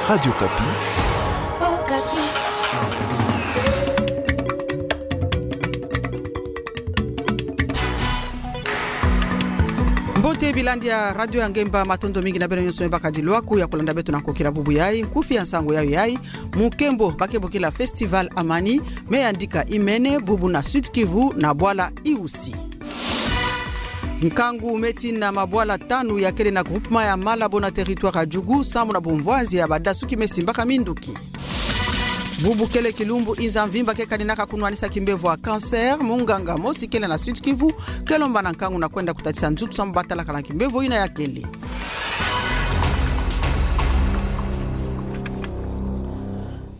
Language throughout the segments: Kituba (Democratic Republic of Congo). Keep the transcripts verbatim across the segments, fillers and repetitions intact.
Radio Okapi. Mbote bilandi ya Radio ya Ngemba, matondo mingi na beno nyonso me baka dilwaku ya kulanda beto na nkokila bubu yayi. Nkufi ya nsangu yayi yayi: Mukembo ba ke bokila Festival Amani me yandika imene bubu na Sud-Kivu na bwala Iusi. Nkangu me tina mabwala tanu ya kele na groupement ya Malabo na territoire ya Djugu, sambu na bumvwanzi ya badasuki me simbaka minduki. Bubu kele kilumbu inza mvimba ke kaninaka kunwanisa kimbevo ya cancer. Munganga mosi kele na Sud-Kivu ke lomba na nkangu na kwenda kutatisa nzutu sambu batalaka na kimbevo ina ya kele.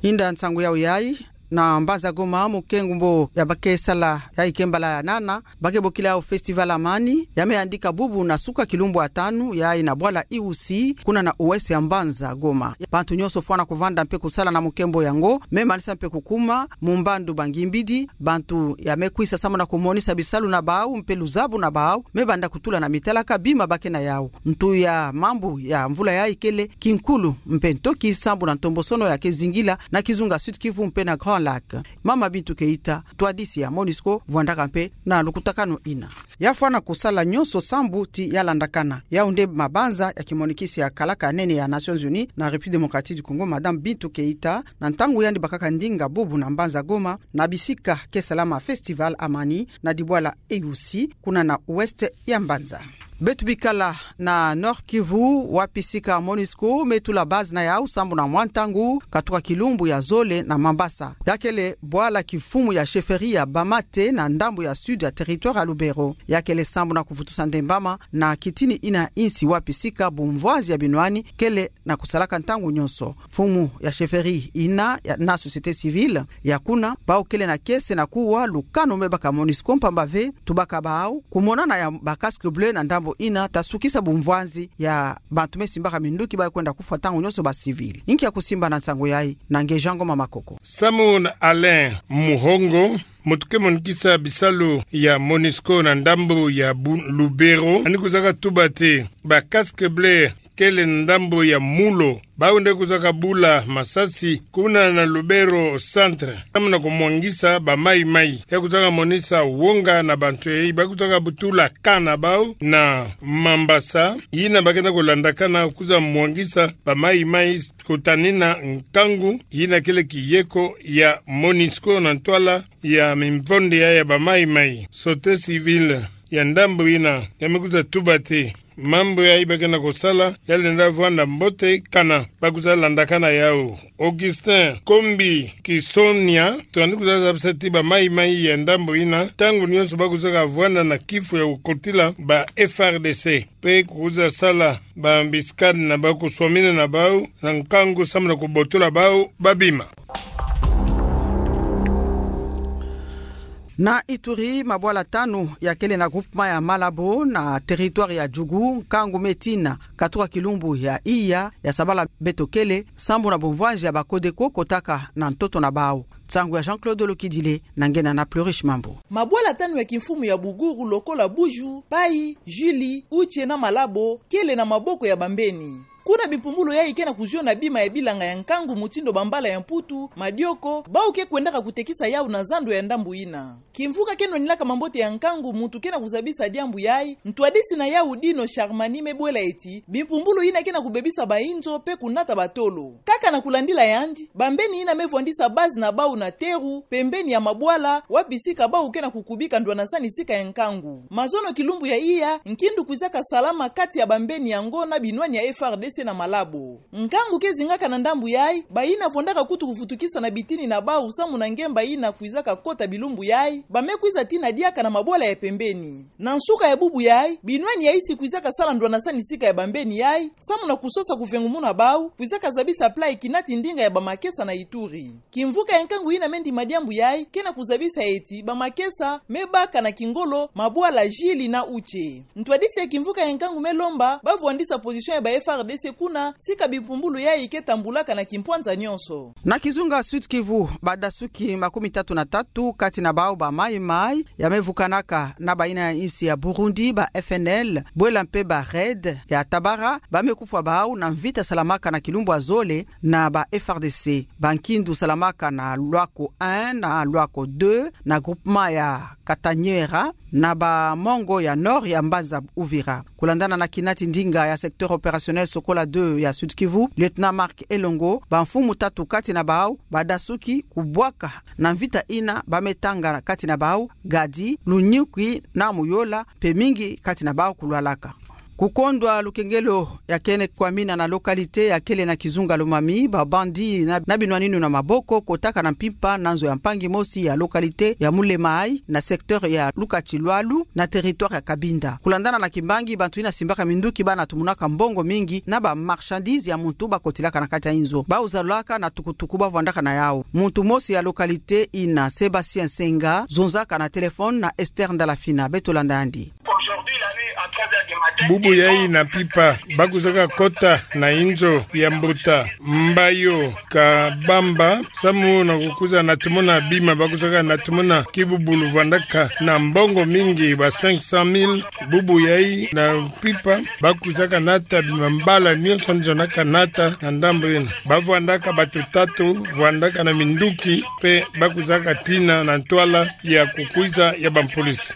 Inda nsangu yawu yayi, na mbanza Goma, mukembo ya ba ke sala yayi ke mbala ya nana, ba ke bokila yawu Festival Amani, ya me yandika bubu na suka kilumbu ya tanu yayi na bwala Iusi, kuna na ouest ya mbanza Goma. Bantu nyonso fwana kuvanda mpe kusala na mukembo yango, me manisa mpe kukuma mu mbandu ba ngimbidi. Bantu ya me kwisa sambu na kumonisa bisalu na bawu mpe luzabu na bawu, me banda kutula na mitalaka bima ba ke na yawu. Ntu ya mambu ya mvula yayi kele kinkulu mpe ntoki sambu na ntombosono ya ke zingila na kizunga Sud-Kivu mpe na Grand Lac. Mama Bintou Keita, ntwadisi ya MONUSCO, vwandaka mpe na lukutakanu ina. Ya fwana kusala nyonso sambu ti ya landakana. Yawu nde mabanza ya kimonikisi ya kalaka nene ya Nations Unies na République Démocratique du Congo, Madame Bintou Keita, na ntangu yandi bakaka ndinga bubu na mbanza Goma, na bisika ke salama Festival Amani, na dibwala Iusi, kuna na ouest ya mbanza. Beto bikala na Nord-Kivu, wapi sika MONUSCO me tula base na yawu sambu na mwa ntangu, katuka kilumbu ya zole na Mambasa. Ya kele bwala kimfumu ya chefferie ya Bamate na ndambu ya sud ya territoire ya Lubero. Ya kele sambu na kuvutusa ndembama na kitini ina insi wapi sika bumvwanzi ya binwani kele na kusalaka ntangu nyonso. Mfumu ya chefferie ina ya, na société civile ya kuna, bawu kele na kiese na kuwa lukanu me baka MONUSCO, mpamba ve tubaka bawu kumonana ya ba casque bleu na ndambu ina ta sukisa bumvwanzi ya bantu me simbaka minduki ba kwenda kufwa ntangu nyonso, ba civil. Inki ya kusimba na nsangu yayi? Na nge Jean Ngoma Makoko. Samu na Alain Muhongo, muntu ke monikisa bisalu ya MONUSCO na ndambu ya Bu-, Lubero, yandi kwizaka tuba ti ba casque bleu kele na ndambu ya Mulo, bawu nde kwizaka bula masasi kuna na Lubero centre, samu na kumwangisa ba Mai Mai. Ya kwizaka monisa wonga na bantu yayi ba kwizaka butula camp na bawu na Mambasa, yina ba ke na kulandakana kwiza mwangisa ba Mai Mai, kutanina nkangu yina kele kiyeko ya MONUSCO na ntwala ya mimvonde ya, ya ba Mai Mai. Société civile ya ndambu yina ya me kwiza tuba ti mambu yayi ba ke na kusala ya lenda vwanda mbote kana ba kwiza landakana yawu. Augustin Kombi Kisonia, to yandi kwiza zabisa ti ba Mai Mai ya ndambu yina, ntangu nyonso ba kwizaka vwanda na kifu ya kukotila ba F R D C, mpe kwiza sala ba embuscade na bawu, kuswamina na bawu na nkangu samu na kubotola bawu ba bima. Na Ituri, mabwala tanu ya kele na groupement ya Malabo na territoire ya Djugu, nkangu me tina katuka kilumbu ya iya ya sabala beto kele, sambu na bumvwanzi ya ba Codeco kotaka na ntoto na bawu. Nsangu ya Jean-Claude Lokidile na nge Nana Plurish Mambu. Mabwala tanu ya kimfumu ya Buguru, lokola Buju, Pai, Juli, Uche na Malabo, kele na maboko ya bambeni. Kuna bimpumbulu yayi ke na kuziona bima ya bilanga ya nkangu mutindu bambala ya Mputu, madioko, bawu ke kwendaka kutekisa yawu na zando ya ndambu yina. Kimvuka ke nwanilaka mambote ya nkangu, muntu ke na kuzabisa diambu yayi, ntwadisi na yawu Dino Charmani, me bwela eti bimpumbulu yina ke na kubebisa bayinzo mpe kunata batolo. Kaka na kulandila yandi, bambeni yina me vwandisa base na bawu na teru, pembeni ya mabwala, wapi sika bawu ke na kukubika ndwanasanisika ya nkangu. Mazono kilumbu ya iya, nkindu kwizaka salama kati ya bambeni yango na binwani ya F R D C na Malabo. Nkangu ke zingaka na ndambu yayi, bayina vwandaka kutu kuvutukisa na bitini na bawu samu na ngemba yina kwizaka kota bilumbu yayi, ba me kwiza tina diaka na mabwala ya pembeni. Na nsuka ya bubu yayi, binwani ya isi kwizaka sala ndwanasanisika ya bambeni yayi, samu na kusosa kuvengumuna bawu, kwizaka zabisa plan ya kinati ndinga ya bamakesa na Ituri. Kimvuka ya nkangu yina me ndima diambu yayi ke na kuzabisa eti bamakesa me baka na kingolo mabwala Jili na Uche. Ntwadisi ya kimvuka ya nkangu me lomba ba vwandisa position ya ba F R D C kuna, sika bimpumbulu yayi ke tambulaka na kimpwanza nyonso. Na kizunga Sud-Kivu, badasuki makumi tatu na tatu kati na bau ba mayi-mayi ya me vukanaka na bayina ya insi ya Burundi, ba F N L, bwela mpe ba RAID ya Tabara, ba me kufwa bau na mvita salamaka na kilumbu ya zole na ba F A R D C. Bankindu salamaka na Loako un na Loako deux na groupement ya Kataniera, na ba mongo ya nord ya mbanza Uvira. Kulandana na kinati ndinga ya secteur opérationnel Sokola deux ya Sud-Kivu, lieutenant Marc Elongo, bamfumu tatu kati na bau badasuki kubwaka na mvita yina, ba me tanga kati na bau Gadi, Lunyukwi na Muyola, mpe mingi kati na bau kulwalaka. Kukondwa lukengelo ya kene kwamina na localité ya kele na kizunga Lomami, ba bandit na, na binwaninu na maboko kotaka na mpimpa na nzo ya mpangi mosi ya localité ya Mulemayi, na secteur ya Lukatsilwalu, na territoire ya Cabinda. Kulandana na kimbangi, bantu yina simbaka minduki bana tumunaka mbongo mingi na ba marchandises ya muntu bakotilaka na kati ya inzo. Bau zalaka na tukutuku bavwandaka na yau. Muntu mosi ya localité yina, Sébastien Senga, zonzaka na téléphone na Esther Ndalafina. Beto landa yandi. Bubu yayi na mpimpa, bakwizaka kota na inzo ya mbuta Mbayo Kabamba, samu na kukwiza na tumona bima, bakwizaka na tumona kibubulu vwandaka na mbongo mingi, ba cinq cent mille. Bubu yayi na mpimpa, bakwizaka nata bima, mbala nyonso nzonaka nata na ndambu yina. Bavwandaka bato tatu, vwandaka na minduki, mpe bakwizaka tina na ntwala ya kukwiza ya bampolisi.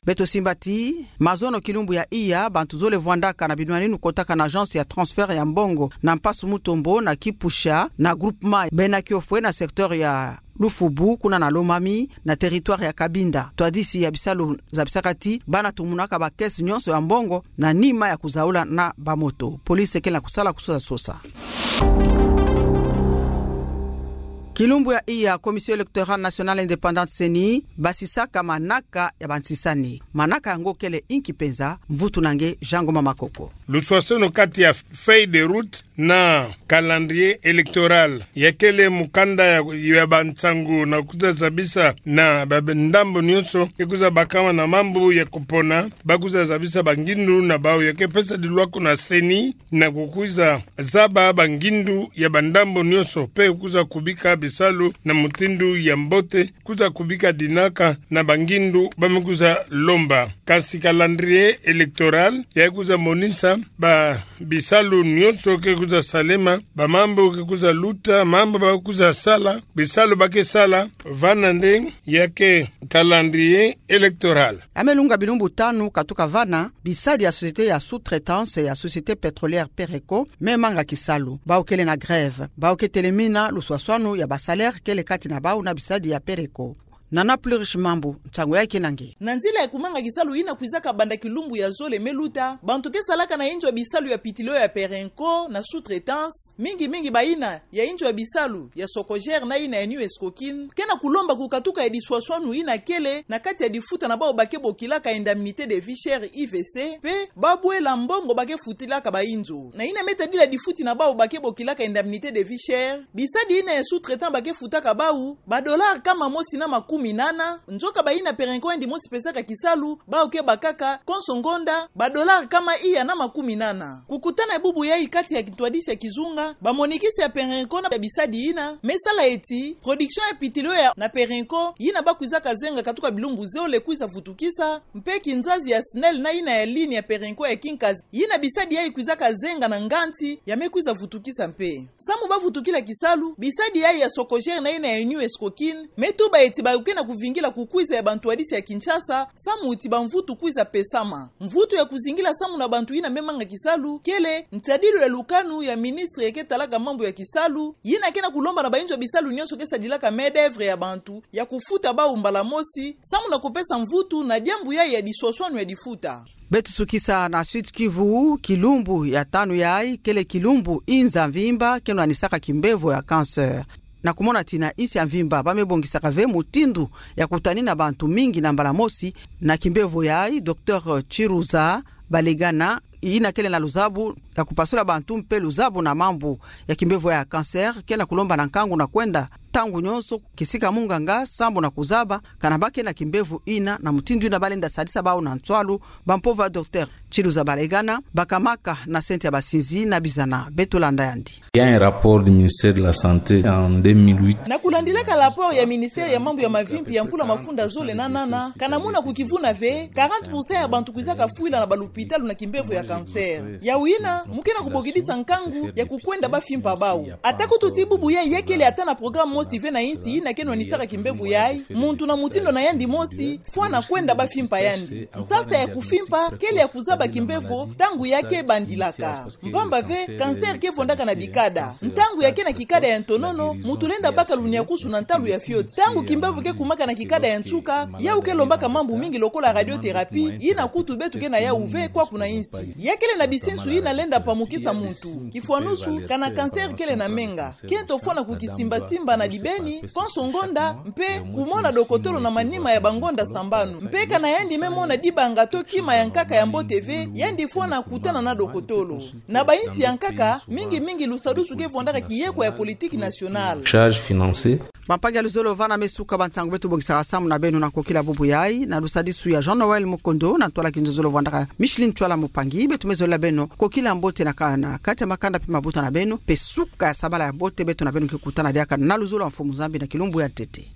Beto simba ti mazono kilumbu ya iya, bantu zole vwandaka na binwaninu kotaka na agence ya transfert ya mbongo na mpasu Mutombo na Kipusha na groupement Bena Kiofwe na secteur ya Lufubu, kuna na Lomami, na territoire ya Cabinda. Ntwadisi ya bisalu zabisaka ti bana tumunaka ba caisse nyonso ya mbongo na nima ya kuzaula na bamoto. Police kele na kusala kusosa-sosa. Kilumbu ya iya, Commission Électorale Nationale Indépendante, CENI, basisaka manaka ya bansisani. Manaka yango kele inki penza? Mvutu na nge Jean Ngoma Makoko. Luswaswanu kati ya feuille de route na calendrier électoral, ya kele mukanda ya, ya bansangu na kwiza zabisa na ba, ba ndambu nyonso ke kwiza bakama na mambu ya kupona, bakwiza zabisa bangindu na bau ya ke pesa dilwako na CENI, na kukwiza zaba bangindu ya bandambu nyonso, mpe kwiza kubika bisalu na mutindu ya mbote, kwiza kubika dinaka na bangindu ba me kwiza lomba. Kasi calendrier électoral ya kwiza monisa ba bisalu nyonso ke kwiza salema, ba mambu ke kwiza luta, mambu ba kwiza sala, bisalu ba ke sala, vana nde ya ke calendrier électoral. Ya me lunga bilumbu tanu katuka vana, bisadi ya société ya sous-traitance ya Société Pétrolière Pereco me manga kisalu. Bau kele na grève. Bau ke telemina luswaswanu ya ba salaire kele kati na bau na bisadi ya Pereco. Nana Plurish Mambu, nsangu yayi ke na nge. Na nzila ya kumanga kisalu yina kwizaka banda kilumbu ya zole me luta, bantu ke salaka na inzo ya bisalu ya pitilio ya Perenco na sous-traitance, mingi mingi bayina ya inzo ya bisalu ya Socogère na yina ya New Escocin, ke na kulomba kukatuka ya diswaswanu yina kele na kati ya difuta na bau ba ke bokilaka indemnité de vie chère, I V C, mpe babwela mbongo ba ke futilaka ba inzo. Na yina me tadila difuti na bau ba ke bokilaka indemnité de vie chère, bisadi yina ya sous-traitant ba ke futaka bau ba dollars kama mosi na makumi nana, nzoka bayina Perenco yandi mosi pesaka kisalu, bau ke bakaka konso ngonda ba dollars kama iya na makumi nana. Kukutana ya bubu yayi kati ya kintwadisi ya kizunga, bamonikisi ya Perenco na bisadi yina me sala eti production ya pitilio ya na Perenco yina ba kwizaka zenga katuka bilumbu zole kwiza vutukisa, mpe kinzazi ya SNEL na yina ya ligne ya Perenco ya kinkazi yina bisadi yayi kwizaka zenga na nganzi ya me kwiza vutukisa mpe. Samu ba vutukila kisalu, bisadi yayi ya Socogère na yina ya New Escocin me tuba eti ba ke na kuvingila kukwiza ya bantwadisi ya Kinshasa, samu ti ba mvutu kwiza pesama. Mvutu ya kuzingila samu na bantu yina me manga kisalu kele ntadilu ya lukanu ya ministre ya ke talaka mambu ya kisalu, yina ke na kulomba na ba inzo ya bisalu nyonso ke sadilaka main-d'œuvre ya bantu ya kufuta bau mbala mosi, samu na kupesa mvutu na diambu yayi ya diswaswanu ya difuta. Beto sukisa na Sud-Kivu, kilumbu ya tanu yayi kele kilumbu inza mvimba ke nwanisaka kimbevo ya cancer. Na kumona ti na insi ya mvimba ba me bongisaka ve mutindu ya kutanina bantu mingi na mbala mosi na kimbevo yayi, Docteur Chiruza Balegana, yina kele na luzabu ya kupasula bantu mpe luzabu na mambu ya kimbevo ya cancer, ke na kulomba na nkangu na kwenda ntangu nyonso kisika munganga sambu na kuzaba kana ba ke na kimbevo ina, na mutindu ina balenda sadisa bawu na nswalu. Bampova docteur Chiluza Balegana bakamaka na sente ya basinzi na bizana. Beto landa yandi. Il y a un rapport du ministère de la Santé en deux mille huit. Na kulandilaka rapport ya ministère ya mambu ya mavimpi ya mvula mafunda zole na nana, kana muna kukivuna ve quarante pour cent ya bantu kwizaka fwila na balupitalu na kimbevo ya cancer. Yawu ina mu ke na kubokidisa nkangu ya kukwenda bafimpa bawu. Ata kutu ti bubu yayi, ya kele ata na programme mosi ve na insi ina ke nwanisaka kimbevo yayi, muntu na mutindu na yandi mosi fwana kwenda bafimpa yandi. Nsasa ya kufimpa kele ya kuzaba kimbevo ntangu ya ke bandilaka. Mpamba ve, cancer ke vondaka na bikada. Ntangu ya ke na kikada ya ntonono, muntu lenda baka luniakusu na ntalu ya fioti. Ntangu kimbevo ke kumaka na kikada ya nsuka, yawu ke lombaka mambu mingi lokola radiothérapie, ina kutu beto ke na yawu ve kwaku na insi. Ya kele na bisinsu ina lenda pamukisa muntu. Kifwanusu, kana cancer kele na menga, kento fwana kukisimbasimba na dibeni konso ngonda, mpe kumona dokotolo na manima ya bangonda sambanu. Mpe kana yandi me mona dibanga to kima ya nkaka ya mbote ve, yandi fwana kutana na dokotolo. Na bainsi ya nkaka, mingi mingi lusadusu ke vondaka kiyekwa ya politique nationale. Charge financière. Bampangi ya luzolo, vana me suka ba nsangu beto bongisaka samu na beno na kokila bubu yayi, na lusadisu ya Jean Noël Mukondo, na ntwala kinzozolo vwandaka Micheline Tswala Mupangi. Beto me zolela beno kokila mbote na ka-, na kati ya makanda mpe mabuta na beno, mpe suka ya sabala ya mbote beto na beno ke kutana diaka na luzolo ya Mfumu Nzambi na kilumbu ya ntete.